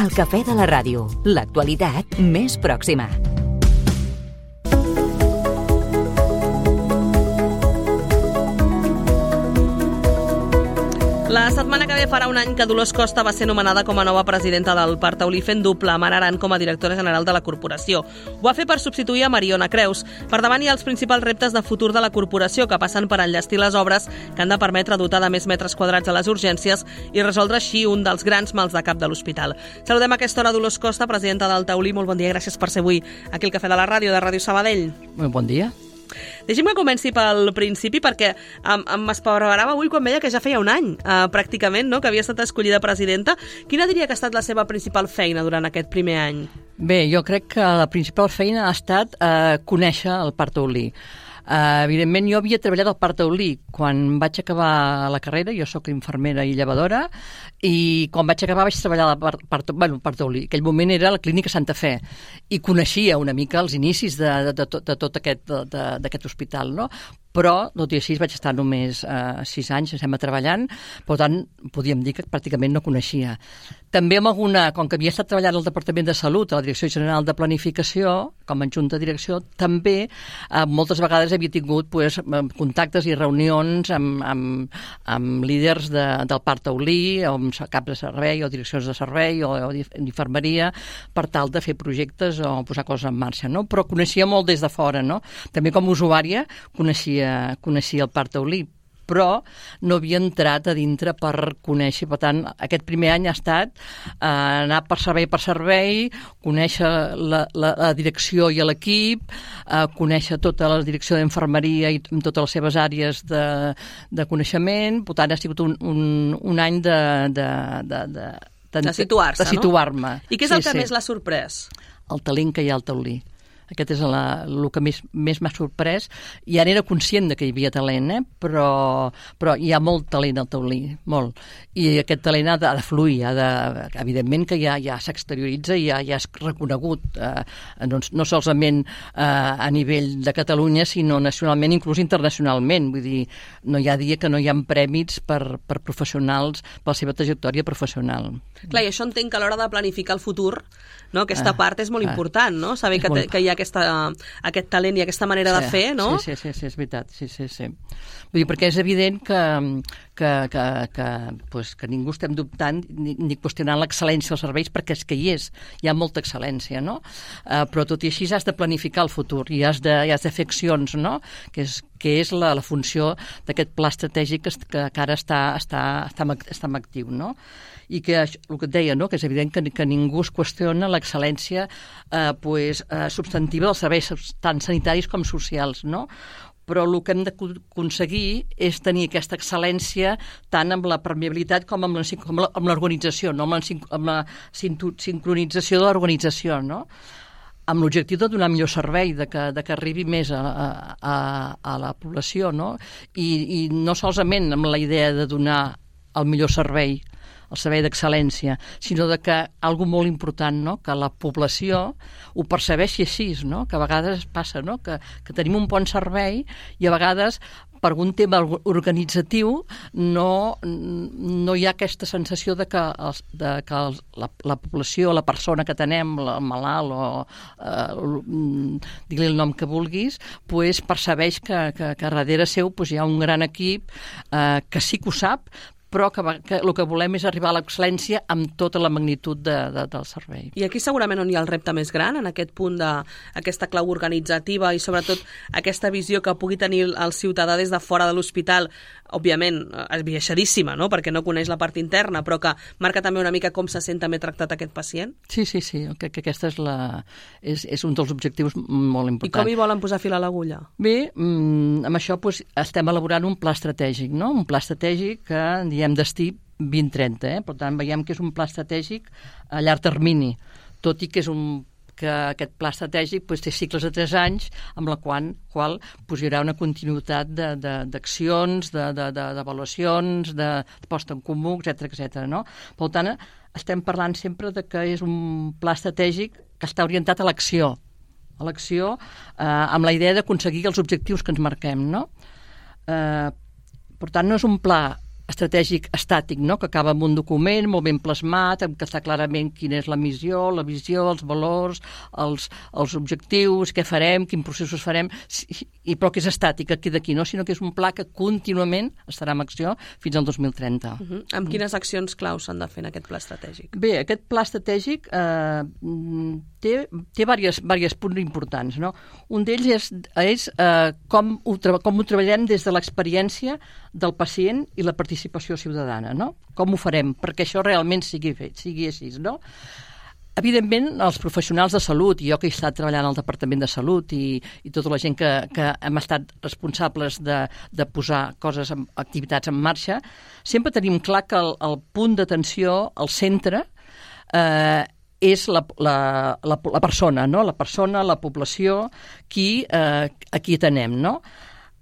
El cafè de la ràdio, l'actualitat més pròxima. La setmana que ve farà un any que Dolors Costa va ser nomenada com a nova presidenta del Parc Taulí, fent doble amb Ana Aran com a directora general de la corporació. Ho va fer per substituir a Mariona Creus. Per davant hi ha els principals reptes de futur de la corporació, que passen per enllestir les obres que han de permetre dotar de més metres quadrats a les urgències i resoldre així un dels grans mals de cap de l'hospital. Saludem a aquesta hora Dolors Costa, presidenta del Taulí. Molt bon dia, gràcies per ser avui aquí al Cafè de la Ràdio, de Ràdio Sabadell. Molt bon dia. Deixi'm que comenci pel principi, perquè m'espavarava avui quan veia que ja feia un any, pràcticament, no?, que havia estat escollida presidenta. Quina diria que ha estat la seva principal feina durant aquest primer any? Bé, jo crec que la principal feina ha estat conèixer el Parc Taulí. Evidentment, jo havia treballat al Parc Taulí quan vaig acabar la carrera. Jo sóc infermera i llevadora, i quan vaig acabar vaig treballar al Parc Taulí. En aquell moment era la Clínica Santa Fe, i coneixia una mica els inicis de tot aquest hospital, no? Però, tot i així, vaig estar només 6 anys, estem treballant, per tant, podíem dir que pràcticament no coneixia. També com que havia estat treballant al Departament de Salut, a la Direcció General de Planificació, com a adjunta de direcció, també moltes vegades havia tingut contactes i reunions amb líders del Parc Taulí, o amb caps de servei, o direccions de servei, o d'infermeria, per tal de fer projectes o posar coses en marxa, no? Però coneixia molt des de fora, no? També com a usuària coneixia el Parc Taulí, però no havia entrat a dintre per conèixer. Per tant, aquest primer any ha estat anar per servei, conèixer la direcció i l'equip, conèixer tota la direcció d'infermeria i totes les seves àrees de coneixement. Per tant, ha sigut un any de situar-se, de situar-me. I què és el que més l'ha sorprès? El talent que hi ha al Taulí. Aquest és el que més m'ha sorprès. Ja n'era conscient que hi havia talent, però hi ha molt talent al Taulí, molt. I aquest talent ha de fluir, evidentment que ja s'exterioritza i ja és reconegut, no solament a nivell de Catalunya, sinó nacionalment, inclús internacionalment. Vull dir, no hi ha dia que no hi ha prèmits per professionals, per la seva trajectòria professional. Clar, i això entenc que a l'hora de planificar el futur, no, aquesta part és molt important, no? Saber que hi ha aquest talent i aquesta manera de fer, no? Sí, és veritat. Sí. Vull dir, perquè és evident que ningú estem dubtant ni qüestionant l'excel·lència dels serveis, perquè és que hi ha molta excel·lència, no? Però tot i així has de planificar el futur i has de fer accions, no? Que és la funció d'aquest pla estratègic que ara està actiu, no? I que el que et deia, no? Que és evident que ningú es qüestiona l'excel·lència substantiva dels serveis tant sanitaris com socials, no? Però el que hem d'aconseguir és tenir aquesta excel·lència tant amb la permeabilitat com amb l'organització, no? Amb la sincronització de l'organització, no? Amb l'objectiu de donar millor servei, de que arribi més a la població, no? I no solament amb la idea de donar el millor servei, el servei d'excel·lència, sinó de que algo molt important, no? Que la població ho percebeixi així, no? Que a vegades passa, no? Que tenim un bon servei i a vegades per algun tema organitzatiu no hi ha aquesta sensació de que la població, la persona que tenem, el malalt o digue-li el nom que vulguis, percebeix que darrere seu hi ha un gran equip que sí que ho sap, però que el que volem és arribar a l'excel·lència amb tota la magnitud del servei. I aquí segurament on hi ha el repte més gran, en aquest punt d'aquesta clau organitzativa i sobretot aquesta visió que pugui tenir el ciutadà des de fora de l'hospital, òbviament esbiaixadíssima, no? Perquè no coneix la part interna, però que marca també una mica com se sent també tractat aquest pacient. Sí, crec que aquesta és un dels objectius molt importants. I com hi volen posar fil a l'agulla? Bé, amb això estem elaborant un pla estratègic, no? Un pla estratègic que diem destí 2030, Per tant, veiem que és un pla estratègic a llarg termini, tot i que aquest pla estratègic té cicles de 3 anys, amb la qual hi haurà una continuïtat d'accions, d'avaluacions, de posta en comú, etc. No? Per tant, estem parlant sempre de que és un pla estratègic que està orientat a l'acció, amb la idea d'aconseguir els objectius que ens marquem, no? Per tant, no és un pla estratègic estàtic, no? Que acaba amb un document molt ben plasmat, en què està clarament quina és la missió, la visió, els valors, els objectius, què farem, quins processos farem, però que és estàtic aquí d'aquí, no? Sinó que és un pla que contínuament estarà en acció fins al 2030. Amb quines accions claus s'han de fer en aquest pla estratègic? Bé, aquest pla estratègic té diversos punts importants, no? Un d'ells és com ho treballem des de l'experiència del pacient i la participació ciutadana, no? Com ho farem perquè això realment sigui així, no? Evidentment, els professionals de salut, i jo que he estat treballant al Departament de Salut i tota la gent que hem estat responsables de posar activitats en marxa, sempre tenim clar que el punt d'atenció, el centre, és la persona, no? La persona, la població, a qui atenem, no?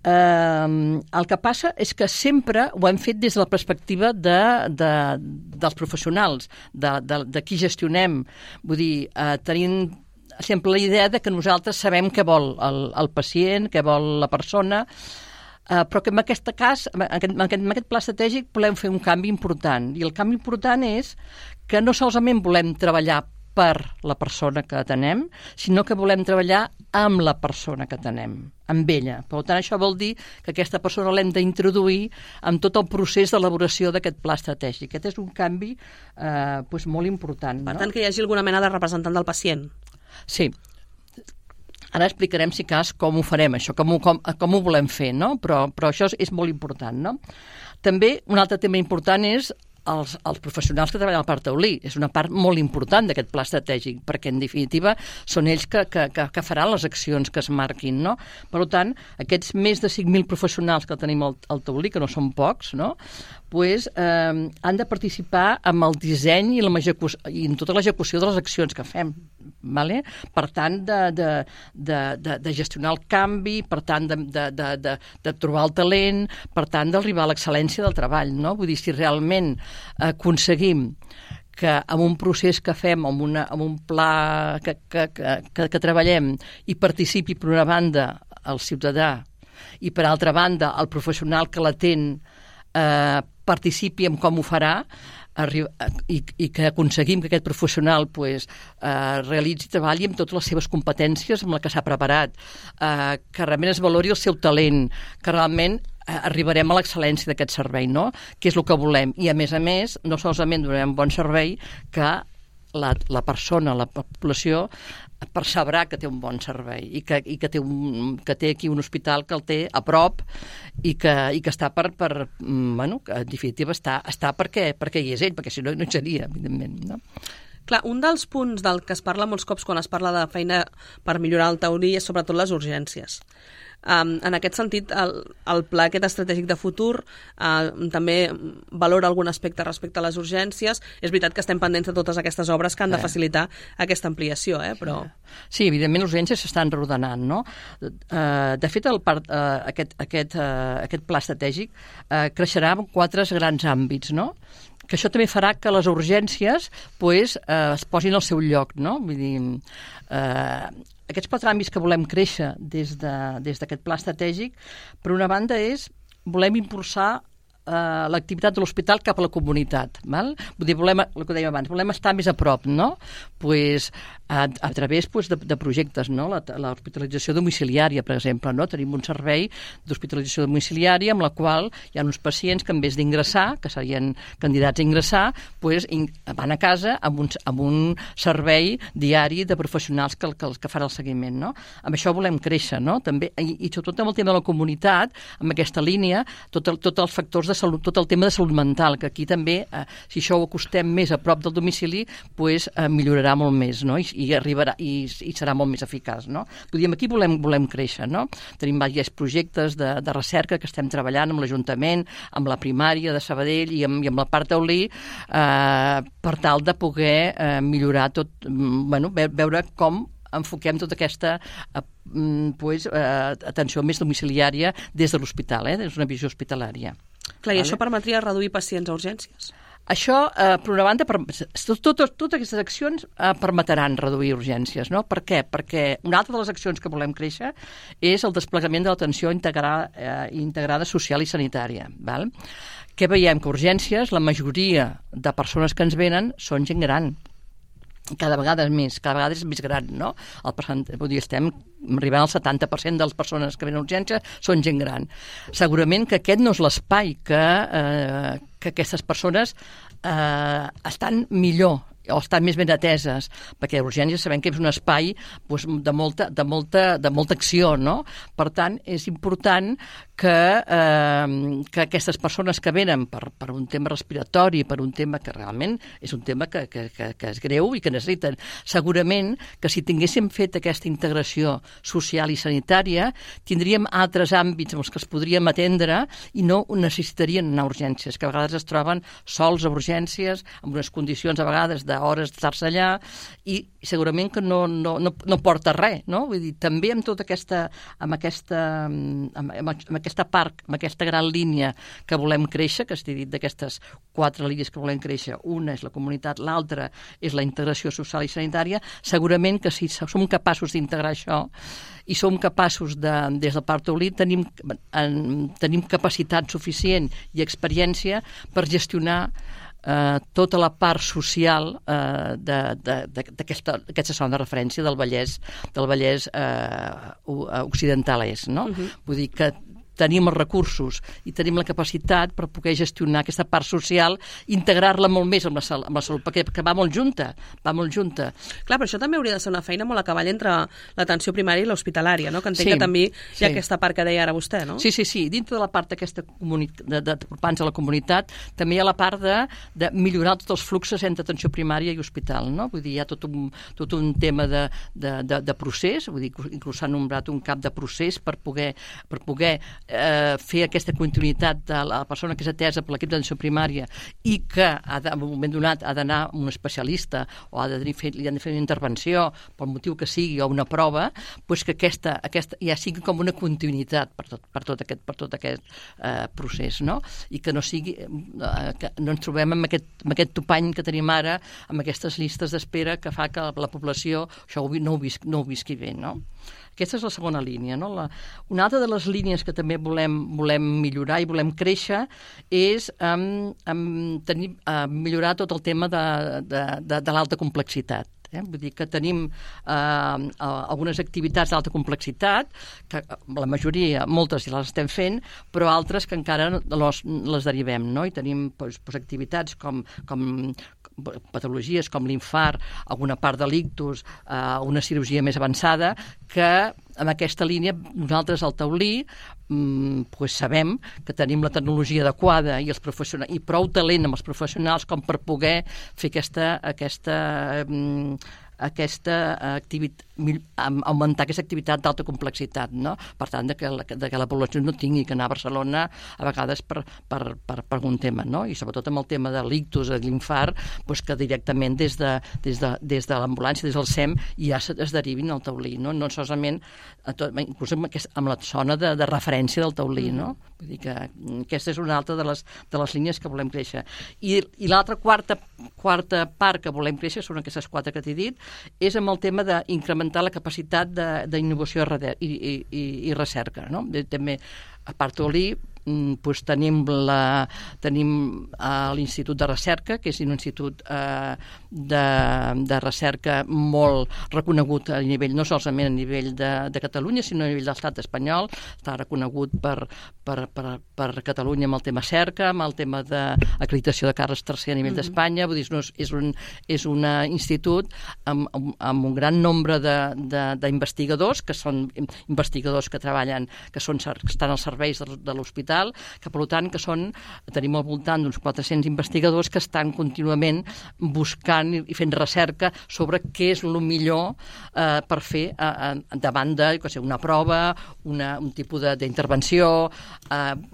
El que passa és que sempre ho hem fet des de la perspectiva dels professionals, de qui gestionem. Vull dir, tenim sempre la idea de que nosaltres sabem què vol el pacient, què vol la persona, però que en aquest cas, en aquest pla estratègic, volem fer un canvi important. I el canvi important és que no solament volem treballar per la persona que atenem, sinó que volem treballar amb la persona que atenem, amb ella. Per tant, això vol dir que aquesta persona l'hem d'introduir en tot el procés d'elaboració d'aquest pla estratègic. Aquest és un canvi molt important. Per tant, que hi hagi alguna mena de representant del pacient. Sí. Ara explicarem, si cas, com ho farem, això, com ho volem fer, no? Però això és molt important, no? També un altre tema important és els professionals que treballen al Parc Taulí. És una part molt important d'aquest pla estratègic, perquè en definitiva són ells que faran les accions que es marquin, no? Per tant, aquests més de 5.000 professionals que tenim al Taulí, que no són pocs, no? Han de participar en el disseny i en tota l'execució de les accions que fem. Vale? Per tant, de gestionar el canvi, per tant, de trobar el talent, per tant, d'arribar a l'excel·lència del treball, no? Vull dir, si realment aconseguim que amb un procés que fem, amb un pla que treballem, hi participi, per una banda, el ciutadà i, per altra banda, el professional que l'atén participi en com ho farà, i que aconseguim que aquest professional realitzi i treballi amb totes les seves competències amb la que s'ha preparat, que realment es valori el seu talent, que realment arribarem a l'excel·lència d'aquest servei, no? Que és el que volem. I, a més, no solament donarem bon servei, que la persona, la població, percebrà que té un bon servei i que té aquí un hospital que el té a prop i que està que en definitiva està perquè hi és ell, perquè si no, no hi seria, evidentment, no? Clar, un dels punts del que es parla molts cops quan es parla de feina per millorar el Taulí és sobretot les urgències. En aquest sentit, el pla aquest estratègic de futur també valora algun aspecte respecte a les urgències. És veritat que estem pendents de totes aquestes obres que han de facilitar aquesta ampliació, però... Sí, evidentment les urgències s'estan reordenant, no? De fet, aquest pla estratègic creixerà en 4 grans àmbits, no? Que això també farà que les urgències es posin al seu lloc, no? Vull dir, aquests 4 àmbits que volem créixer des d'aquest pla estratègic, per una banda volem impulsar l'activitat de l'hospital cap a la comunitat. Val? Vull dir, el que dèiem abans, volem estar més a prop, no? A través de projectes, no? L'hospitalització domiciliària, per exemple, no? Tenim un servei d'hospitalització domiciliària amb la qual hi ha uns pacients que en vez d'ingressar, que serien candidats a ingressar, van a casa amb un servei diari de professionals que fan el seguiment, no? Amb això volem créixer, no? També, i sobretot amb el tema de la comunitat, amb aquesta línia, tots els factors de salut, tot el tema de salut mental, que aquí també, si això ho acostem més a prop del domicili, millorarà molt més, no? I arribarà i serà molt més eficaç, no? Vull dir, aquí volem créixer, no? Tenim diversos projectes de recerca que estem treballant amb l'Ajuntament, amb la primària de Sabadell i amb la Parc Taulí, per tal de poder millorar tot, veure com enfoquem tota aquesta atenció més domiciliària des de l'hospital, des d'una visió hospitalària. Clar, i això permetria reduir pacients a urgències? Això, per una banda, totes aquestes accions permetran reduir urgències, no? Per què? Perquè una altra de les accions que volem créixer és el desplegament de l'atenció integrada social i sanitària. Val? Què veiem? Que urgències, la majoria de persones que ens venen són gent gran. Cada vegada és més gran, no? Estem arribant al 70% de les persones que venen a urgència són gent gran. Segurament que aquest no és l'espai que aquestes persones estan millor o estan més ben ateses, perquè urgències sabem que és un espai de molta acció, no? Per tant, és important que aquestes persones que venen per un tema respiratori, per un tema que realment és un tema que és greu i que necessiten. Segurament que si tinguéssim fet aquesta integració social i sanitària, tindríem altres àmbits en els que es podríem atendre i no necessitarien anar a urgències, que a vegades es troben sols a urgències, amb unes condicions a vegades d'hores d'estar-se allà, i segurament que no porta res, no? Vull dir, també amb tota aquesta part, amb aquesta gran línia que volem créixer, que estic dit d'aquestes 4 línies que volem créixer, una és la comunitat, l'altra és la integració social i sanitària, segurament que si som capaços d'integrar això i som capaços des del Parc Taulí tenim capacitat suficient i experiència per gestionar tota la part social d'aquesta zona de referència del Vallès occidental és, no? Vull dir que tenim els recursos i tenim la capacitat per poder gestionar aquesta part social, integrar-la molt més amb la salut, perquè va molt junta. Clar, però això també hauria de ser una feina molt a cavall entre l'atenció primària i l'hospitalària, no? Que entenc que també hi ha aquesta part que deia ara vostè, no? Sí. Dintre de la part d'aquesta d'apropar-nos a la comunitat, també hi ha la part de millorar tots els fluxos entre atenció primària i hospital, no? Vull dir, hi ha tot un tema de procés, vull dir, inclús s'ha nombrat un cap de procés per poder fer aquesta continuïtat de la persona que és atesa per l'equip d'atenció primària i que en un moment donat ha d'anar a un especialista o li han de fer una intervenció pel motiu que sigui o una prova, doncs que aquesta ja sigui com una continuïtat per tot aquest procés, no? I que no sigui que no ens trobem amb aquest topany que tenim ara, amb aquestes llistes d'espera que fa que la població això no ho visqui bé, no? Aquesta és la segona línia, no? Una altra de les línies que també volem millorar i volem créixer és millorar tot el tema de l'alta complexitat. Vull dir que tenim algunes activitats d'alta complexitat, que la majoria, moltes ja les estem fent, però altres que encara les derivem, no? I tenim activitats com patologies com l'infart, alguna part de l'ictus, una cirurgia més avançada, que en aquesta línia nosaltres al Taulí sabem que tenim la tecnologia adequada i prou talent amb els professionals com per poder fer augmentar aquesta activitat d'alta complexitat, no? Per tant, que la població no tingui que anar a Barcelona a vegades per algun tema, no? I sobretot amb el tema de l'ictus, de l'infart, que directament des de l'ambulància, des del SEM, ja es derivin al Taulí, no? No solament, inclús amb la zona de referència del Taulí, no? Vull dir que aquesta és una altra de les línies que volem créixer. I l'altra quarta part que volem créixer són aquestes 4 que t'he dit, és amb el tema d'incrementar la capacitat d'innovació i recerca, no? També a Parc Taulí tenim l'Institut de Recerca, que és un institut de recerca molt reconegut a nivell, no solament a nivell de Catalunya, sinó a nivell de l'estat espanyol. Està reconegut per Catalunya amb el tema cerca, amb el tema d'acreditació de Carles III a nivell d'Espanya. Vull dir, és un institut amb un gran nombre d'investigadors, que són investigadors que treballen, que estan als serveis de l'hospital, que per tant tenim al voltant d'uns 400 investigadors que estan contínuament buscant i fent recerca sobre què és el millor per fer davant d'una prova, un tipus d'intervenció.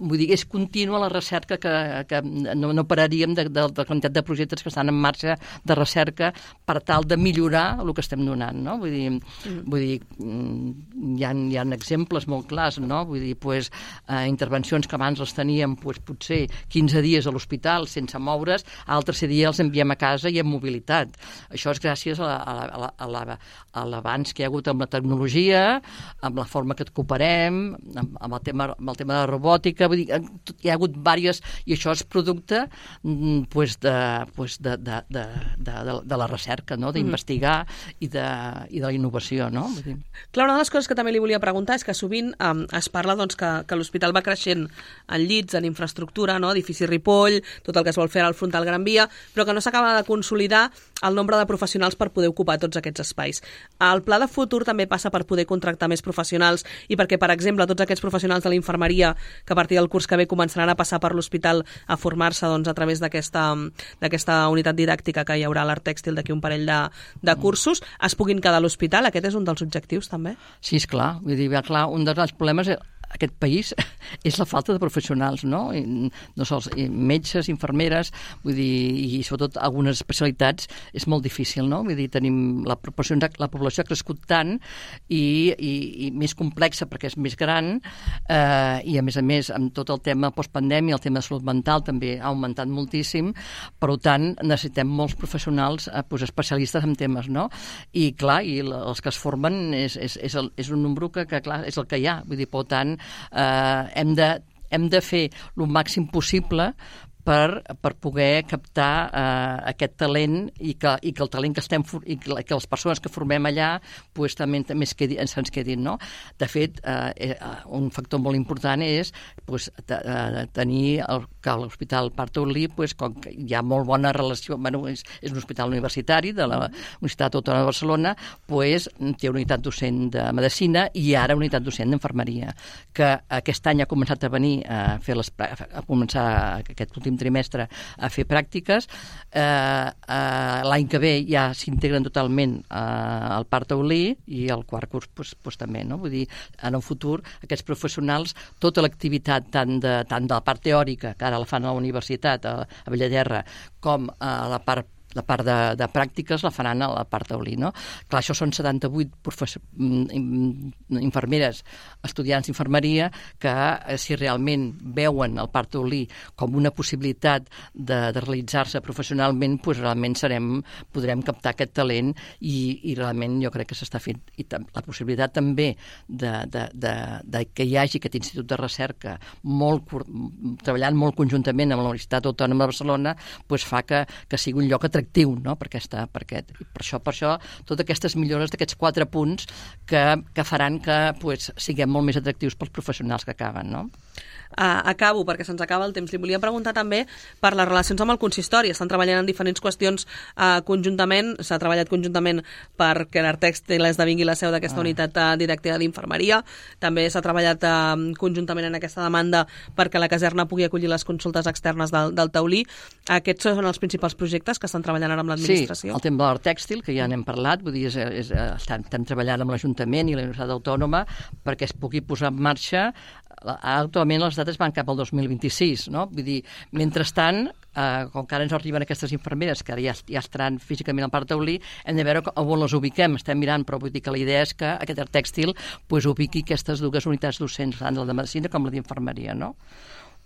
Vull dir, és contínua la recerca que no pararíem de la quantitat de projectes que estan en marxa de recerca per tal de millorar el que estem donant, no? Vull dir, hi ha exemples molt clars, no? Vull dir, intervencions consultacions que abans les teníem potser 15 dies a l'hospital sense moure's, al tercer dia els enviem a casa i amb mobilitat. Això és gràcies a l'avanç que hi ha hagut amb la tecnologia, amb la forma que et cooperem, amb el tema de la robòtica, vull dir, hi ha hagut diverses, i això és producte de la recerca, no? D'investigar i de la innovació, no? Vull dir. Clar, una de les coses que també li volia preguntar és que sovint es parla doncs, que l'hospital va creixent en llits, en infraestructura, no? Edifici Ripoll, tot el que es vol fer al frontal Gran Via, però que no s'acaba de consolidar el nombre de professionals per poder ocupar tots aquests espais. El pla de futur també passa per poder contractar més professionals i perquè, per exemple, tots aquests professionals de la infermeria que a partir del curs que ve començaran a passar per l'hospital a formar-se doncs, a través d'aquesta unitat didàctica que hi haurà a l'Art Tèxtil d'aquí un parell de cursos, es puguin quedar a l'hospital. Aquest és un dels objectius, també? Sí, esclar. Vull dir, clar, un dels problemes aquest país és la falta de professionals, no? I no sols metges, infermeres, vull dir, i sobretot algunes especialitats és molt difícil, no? Vull dir, tenim la població ha crescut tant i més complexa perquè és més gran i a més amb tot el tema postpandèmia, el tema de salut mental també ha augmentat moltíssim, per tant necessitem molts professionals especialistes en temes, no? I clar, i els que es formen és un nombre que clar, és el que hi ha, vull dir, per tant hem de fer el màxim possible per poder captar aquest talent i que el talent que les persones que formem allà pues, també se'ns quedin, no? De fet, un factor molt important és pues, tenir que l'Hospital Parc-Taulí, pues, com que hi ha molt bona relació, és un hospital universitari de la Universitat Autònoma de Barcelona, pues, té una unitat docent de Medicina i ara una unitat docent d'Infermeria, que aquest any ha començat a venir a començar aquest últim trimestre a fer pràctiques. L'any que ve ja s'integren totalment al Parc-Taulí i el quart curs pues, també, no? Vull dir, en el futur aquests professionals, tota l'activitat tant de la part teòrica, que ara la fan a la universitat, a Bellaterra, com a la part de pràctiques la faran a la Parc-Taulí, no? Clar, això són 78 infermeres, estudiants d'infermeria, que si realment veuen el Parc-Taulí com una possibilitat de realitzar-se professionalment, doncs realment podrem captar aquest talent i realment jo crec que s'està fent. I la possibilitat també de que hi hagi aquest institut de recerca treballant molt conjuntament amb la Universitat Autònoma de Barcelona doncs fa que sigui un lloc atractiu, no? Per això totes aquestes millores d'aquests 4 punts que faran que pues, siguem molt més atractius pels professionals que acaben, no? Acabo, perquè se'ns acaba el temps. Li volia preguntar també per les relacions amb el consistori. Estan treballant en diferents qüestions conjuntament. S'ha treballat conjuntament perquè l'Art Tèxtil esdevingui la seu d'aquesta unitat didàctica d'infermeria. També s'ha treballat conjuntament en aquesta demanda perquè la caserna pugui acollir les consultes externes del Taulí. Aquests són els principals projectes que estan treballant ara amb l'administració. Sí, el tema de l'Art Tèxtil, que ja n'hem parlat, vull dir, estem treballant amb l'Ajuntament i la Universitat Autònoma perquè es pugui posar en marxa. Actualment les dates van cap al 2026, no? Vull dir, mentrestant, com que ara ens arriben aquestes infermeres que ja estaran físicament al Parc-Taulí, hem de veure on les ubiquem. Estem mirant, però vull dir que la idea és que aquest Art Tèxtil pues, ubiqui aquestes 2 unitats docents, tant la de Medicina com la d'Infermeria, no?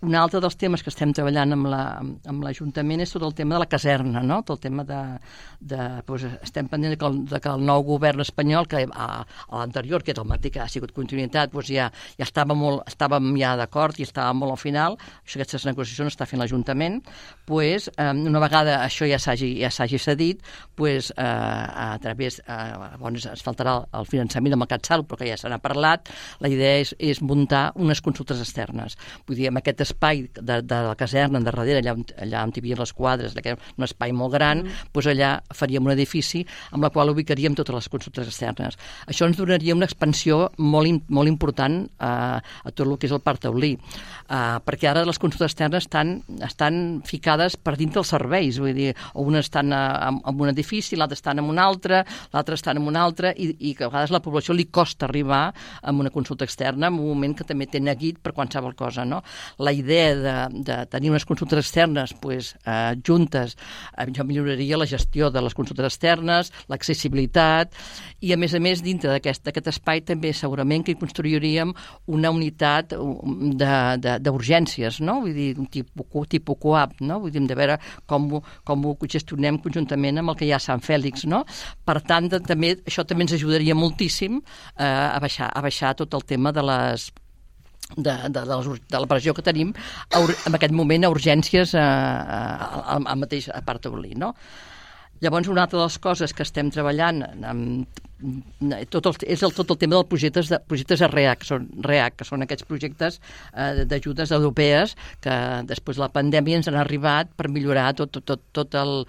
Un altre dels temes que estem treballant amb l'Ajuntament és tot el tema de la caserna, no? Tot el tema doncs, estem pendents que el nou govern espanyol, que a l'anterior, que és el mateix que ha sigut continuïtat, doncs ja estàvem ja d'acord i estàvem molt al final. Aquestes negociacions està fent l'Ajuntament. Doncs, una vegada això ja s'hagi cedit, doncs, a través, es faltarà el finançament del Mercat Salut, però que ja se n'ha parlat, la idea és muntar unes consultes externes. Vull dir, amb aquest espai de la caserna darrere, allà on hi havia les quadres, un espai molt gran, doncs allà faríem un edifici amb la qual ubicaríem totes les consultes externes. Això ens donaria una expansió molt important a tot el que és el Parc-Taulí, perquè ara les consultes externes estan ficades per dintre dels serveis, vull dir, una estan en un edifici, l'altra estan en un altre, l'altra estan en un altre, i que a vegades a la població li costa arribar a una consulta externa en un moment que també té neguit per qualsevol cosa, no? La idea de tenir unes consultes externes juntes, jo milloraria la gestió de les consultes externes, l'accessibilitat, i a més dintre d'aquest espai també segurament que hi construiríem una unitat d'urgències, no? Vull dir, un tipus coap, no? Vull dir, de veure com ho gestionem conjuntament amb el que hi ha a Sant Fèlix, no? Per tant, això també ens ajudaria moltíssim a baixar tot el tema de la pressió que tenim en aquest moment a urgències al mateix Parc Taulí, no? Llavors, una altra de les coses que estem treballant és tot el tema dels projectes REAC, que són aquests projectes d'ajudes europees que després de la pandèmia ens han arribat per millorar tot el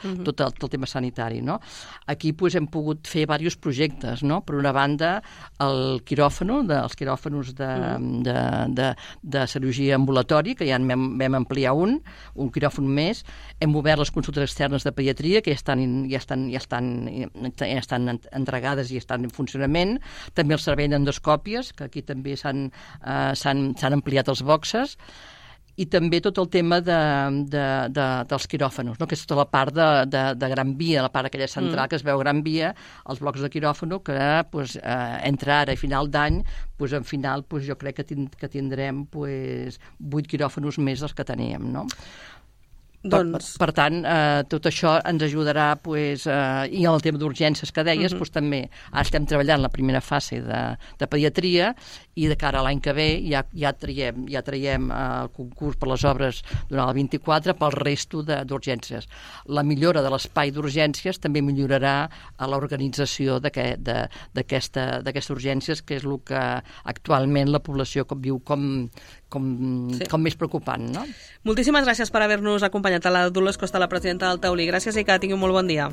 tema sanitari, no? Aquí hem pogut fer diversos projectes, no? Per una banda, els quiròfans de cirurgia ambulatori, que ja en vam ampliar un quiròfan més. Hem obert les consultes externes de pediatria, que ja estan entregades i estan en funcionament. També el servei d'endoscòpies, que aquí també s'han ampliat els boxes. I també tot el tema dels quiròfans, no? Que és tota la part de Gran Via, la part aquella central que es veu Gran Via, els blocs de quiròfano, que entre ara i final d'any, en final jo crec que tindrem 8 quiròfanos més dels que teníem, no? Per tant, tot això ens ajudarà, i el tema d'urgències que deies, també ara estem treballant la primera fase de pediatria, i de cara a l'any que ve ja traiem el concurs per les obres durant el 24 pel resto d'urgències. La millora de l'espai d'urgències també millorarà a l'organització d'aquestes urgències, que és el que actualment la població viu com més preocupant, no? Moltíssimes gràcies per haver-nos acompanyat a la Dolors Costa, la presidenta del Taulí. Gràcies i que tingui un molt bon dia.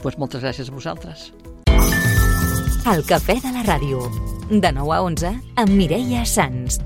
Moltes gràcies a vosaltres. El Cafè de la Ràdio, de 9 a 11, amb Mireia Sans.